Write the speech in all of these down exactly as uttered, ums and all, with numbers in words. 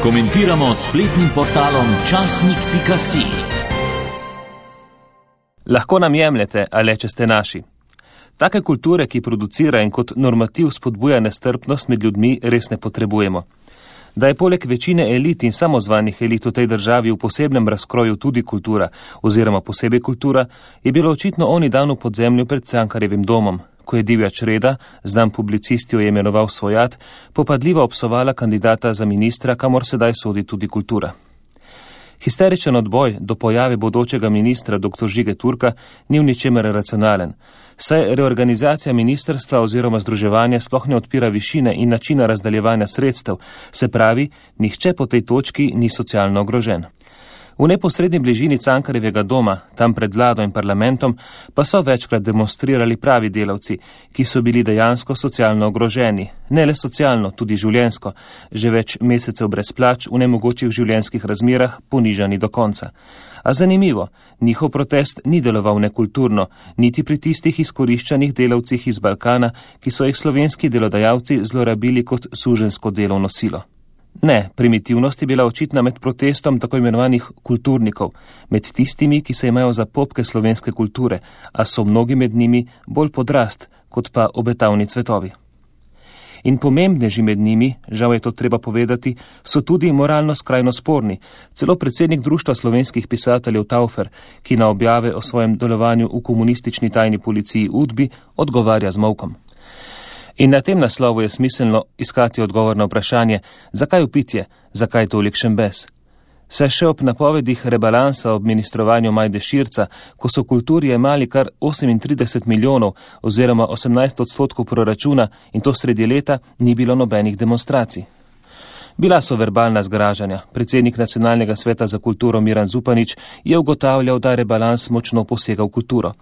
Komentiramo s spletnim portalom časnik pika si. Lahko nam jemljete, ale če ste naši. Take kulture, ki producira in kot normativ spodbuja nestrpnost med ljudmi, res ne potrebujemo. Da je poleg večine elit in samozvanih elit v tej državi v posebnem razkroju tudi kultura, oziroma posebej kultura, je bilo očitno oni dan v podzemlju pred Cankarjevim domom, ko je divjač Reda, znan publicist jo je imenoval Svojat, popadljivo obsovala kandidata za ministra, kamor sedaj sodi tudi kultura. Histeričen odboj do pojave bodočega ministra dr. Žige Turka ni v ničemer racionalen, saj reorganizacija ministrstva oziroma združevanja sploh ne odpira višine in načina razdaljevanja sredstev, se pravi, nihče po tej točki ni socialno ogrožen. V neposredni bližini Cankarjevega doma, tam pred vlado in parlamentom, pa so večkrat demonstrirali pravi delavci, ki so bili dejansko socialno ogroženi, ne le socialno, tudi življenjsko, že več mesecev brez plač v nemogočih življenjskih razmerah, ponižani do konca. A zanimivo, njihov protest ni deloval nekulturno, niti pri tistih izkoriščanih delavcih iz Balkana, ki so jih slovenski delodajalci zlorabili kot suženjsko delovno silo. Ne, primitivnost je bila očitna med protestom tako imenovanih kulturnikov, med tistimi, ki se imajo za popke slovenske kulture, a so mnogi med njimi bolj podrast, kot pa obetavni cvetovi. In pomembneži med njimi, žal je to treba povedati, so tudi moralno skrajno sporni, celo predsednik Društva slovenskih pisateljev Taufer, ki na objave o svojem delovanju v komunistični tajni policiji Udbi odgovarja z molkom. In na tem naslovu je smiselno iskati odgovor na vprašanje, zakaj upitje, zakaj tolikšen bes. Saj še ob napovedih rebalansa ob ministrovanju Majde Širca, ko so kulturi jemali kar osemintrideset milijonov oziroma osemnajst odstotkov proračuna in to sredi leta, ni bilo nobenih demonstracij. Bila so verbalna zgražanja. Predsednik Nacionalnega sveta za kulturo Miran Zupanič je ugotavljal, da rebalans močno posega v kulturo.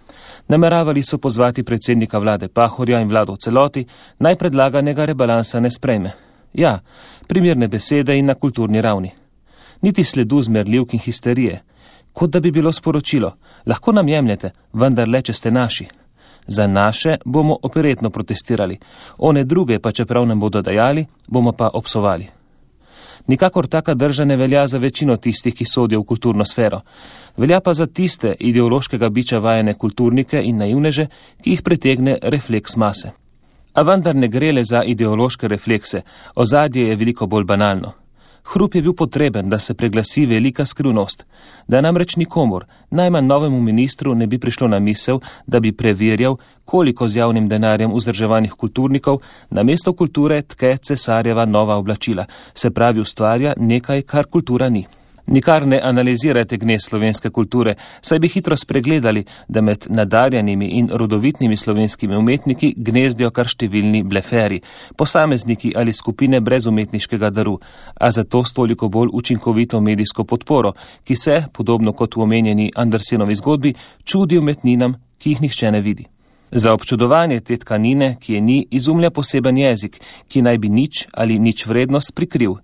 Nameravali so pozvati predsednika vlade Pahorja in vlado v celoti, naj predlaganega rebalansa ne sprejme. Ja, primerne besede in na kulturni ravni. Niti sledu zmerljivk in histerije. Kot da bi bilo sporočilo, lahko nam jemljete, vendar le, če ste naši. Za naše bomo operetno protestirali, one druge pa čeprav nam bodo dajali, bomo pa obsovali. Nikakor taka drža ne velja za večino tistih, ki sodijo v kulturno sfero. Velja pa za tiste ideološkega biča vajene kulturnike in naivneže, ki jih pretegne refleks mase. A vendar ne gre le za ideološke reflekse, ozadje je veliko bolj banalno. Hrup je bil potreben, da se preglasi velika skrivnost, da namreč nikomor, najmanj novemu ministru, ne bi prišlo na misel, da bi preverjal, koliko z javnim denarjem vzdrževanih kulturnikov namesto kulture tke cesarjeva nova oblačila, se pravi ustvarja nekaj, kar kultura ni. Nikar ne analizirajte gnez slovenske kulture, saj bi hitro spregledali, da med nadarjenimi in rodovitnimi slovenskimi umetniki gnezdijo kar številni bleferi, posamezniki ali skupine brez umetniškega daru, a zato s toliko bolj učinkovito medijsko podporo, ki se, podobno kot v omenjeni Andersenovi zgodbi, čudi umetninam, ki jih nihče ne vidi. Za občudovanje te tkanine, ki je ni, izumlja poseben jezik, ki naj bi nič ali nič vrednost prikril.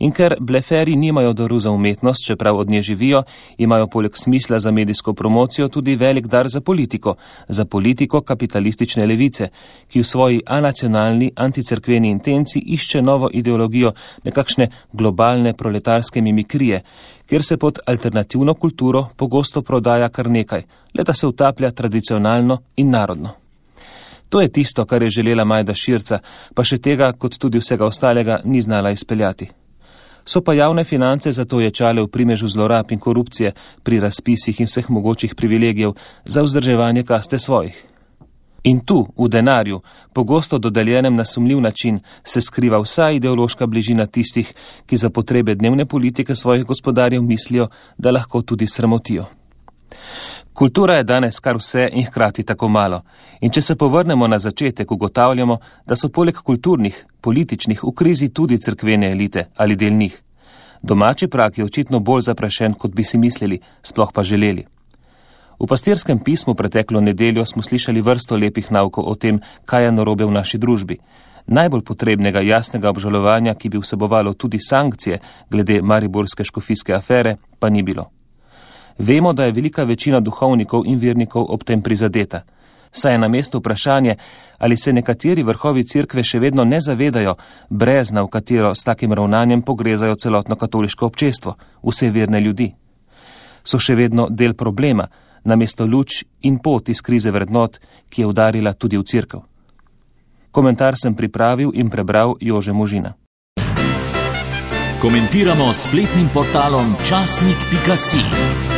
In ker bleferi nimajo daru za umetnost, čeprav od nje živijo, imajo poleg smisla za medijsko promocijo tudi velik dar za politiko, za politiko kapitalistične levice, ki v svoji anacionalni, anticerkveni intenci išče novo ideologijo nekakšne globalne proletarske mimikrije, kjer se pod alternativno kulturo pogosto prodaja kar nekaj, le da se utaplja tradicionalno in narodno. To je tisto, kar je želela Majda Širca, pa še tega, kot tudi vsega ostalega, ni znala izpeljati. So pa javne finance zato ječale v primežu zlorab in korupcije pri razpisih in vseh mogočih privilegijev za vzdrževanje kaste svojih. In tu, v denarju, pogosto dodeljenem na sumljiv način, se skriva vsa ideološka bližina tistih, ki za potrebe dnevne politike svojih gospodarjev mislijo, da lahko tudi sramotijo. Kultura je danes kar vse in hkrati tako malo. In če se povrnemo na začetek, ugotavljamo, da so poleg kulturnih, političnih v krizi tudi cerkvene elite ali del njih. Domači prag je očitno bolj zaprašen, kot bi si mislili, sploh pa želeli. V pastirskem pismu preteklo nedeljo smo slišali vrsto lepih naukov o tem, kaj je narobe v naši družbi. Najbolj potrebnega jasnega obžalovanja, ki bi vsebovalo tudi sankcije glede mariborske škofijske afere, pa ni bilo. Vemo, da je velika večina duhovnikov in vernikov ob tem prizadeta. Saj je na mestu vprašanje, ali se nekateri vrhovi cerkve še vedno ne zavedajo brezna, v katero s takim ravnanjem pogrezajo celotno katoliško občestvo, vse verne ljudi. So še vedno del problema, namesto luč in pot iz krize vrednot, ki je udarila tudi v cerkev. Komentar sem pripravil in prebral Jože Možina. Komentiramo s spletnim portalom časnik pika si.